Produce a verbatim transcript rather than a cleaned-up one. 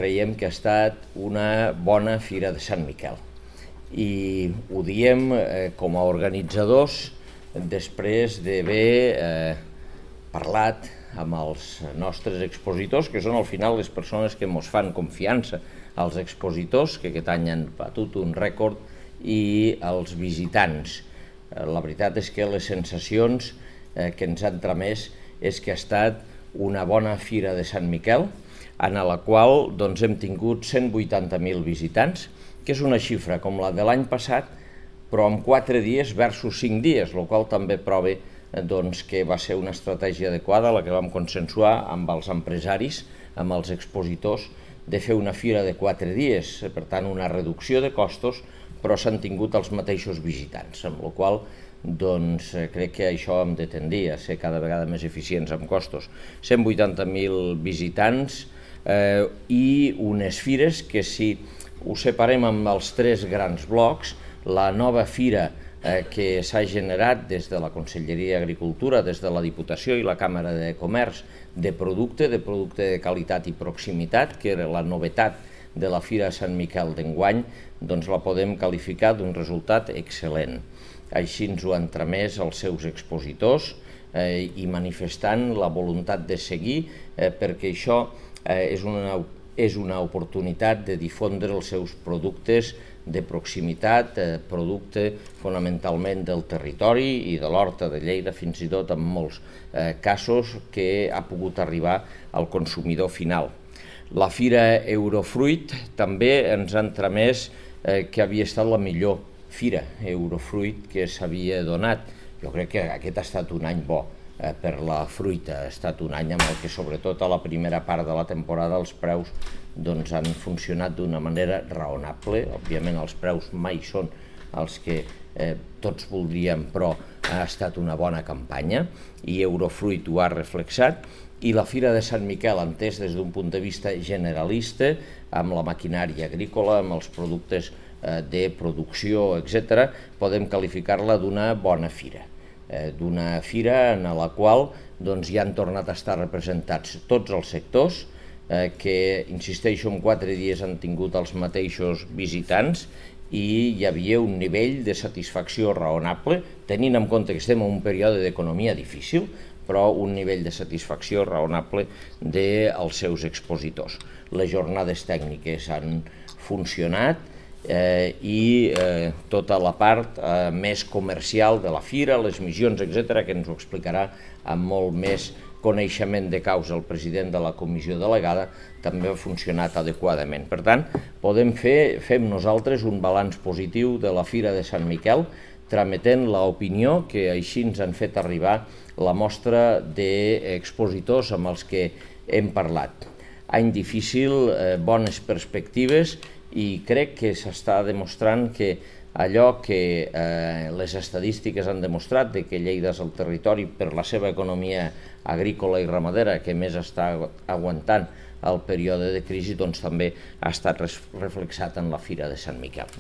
creiem que ha estat una bona Fira de Sant Miquel. I ho diem eh, com a organitzadors després d'haver eh, parlat amb els nostres expositors, que són al final les persones que ens fan confiança, als expositors, que aquest any han batut un rècord, i als visitants. La veritat és que les sensacions eh, que ens han tramès és que ha estat una bona Fira de Sant Miquel, en la qual doncs, hem tingut cent vuitanta mil visitants, que és una xifra com la de l'any passat, però en quatre dies versus cinc dies, el qual també prova doncs, que va ser una estratègia adequada, la que vam consensuar amb els empresaris, amb els expositors, de fer una fira de quatre dies, per tant una reducció de costos, però s'han tingut els mateixos visitants, amb la qual doncs, crec que això hem de tendir a ser cada vegada més eficients amb costos. cent vuitanta mil visitants eh, i unes fires que, si ho separem amb els tres grans blocs, la nova fira eh, que s'ha generat des de la Conselleria d'Agricultura, des de la Diputació i la Càmera de Comerç, de producte, de producte de qualitat i proximitat, que era la novetat de la Fira de Sant Miquel d'enguany, doncs la podem qualificar d'un resultat excel·lent. Així ens ho han tramès els seus expositors eh, i manifestant la voluntat de seguir eh, perquè això eh, és, una, és una oportunitat de difondre els seus productes de proximitat, eh, producte fonamentalment del territori i de l'horta de Lleida, fins i tot en molts eh, casos que ha pogut arribar al consumidor final. La Fira Eurofruit també ens han tramès eh, que havia estat la millor Fira Eurofruit que s'havia donat. Jo crec que aquest ha estat un any bo eh, per la fruita, ha estat un any amb el que sobretot a la primera part de la temporada els preus doncs, han funcionat d'una manera raonable. Òbviament els preus mai són els que eh, tots voldríem, però ha estat una bona campanya i Eurofruit ho ha reflexat. I la Fira de Sant Miquel, entès des d'un punt de vista generalista, amb la maquinària agrícola, amb els productes de producció, etcètera, podem qualificar-la d'una bona fira, eh, d'una fira en la qual doncs, hi han tornat a estar representats tots els sectors, eh, que, insisteixo, en quatre dies han tingut els mateixos visitants i hi havia un nivell de satisfacció raonable, tenint en compte que estem en un període d'economia difícil, però un nivell de satisfacció raonable dels seus expositors. Les jornades tècniques han funcionat, Eh, i eh, tota la part eh, més comercial de la fira, les missions, etcètera, que ens ho explicarà amb molt més coneixement de causa el president de la comissió delegada, també ha funcionat adequadament. Per tant, podem fer, fem nosaltres un balanç positiu de la Fira de Sant Miquel, trametent l'opinió que així ens han fet arribar la mostra d'expositors amb els que hem parlat. Any difícil, eh, bones perspectives, i crec que s'està demostrant que allò que eh, les estadístiques han demostrat, de que Lleida és el territori per la seva economia agrícola i ramadera que més està aguantant el període de crisi, doncs també ha estat reflexat en la Fira de Sant Miquel.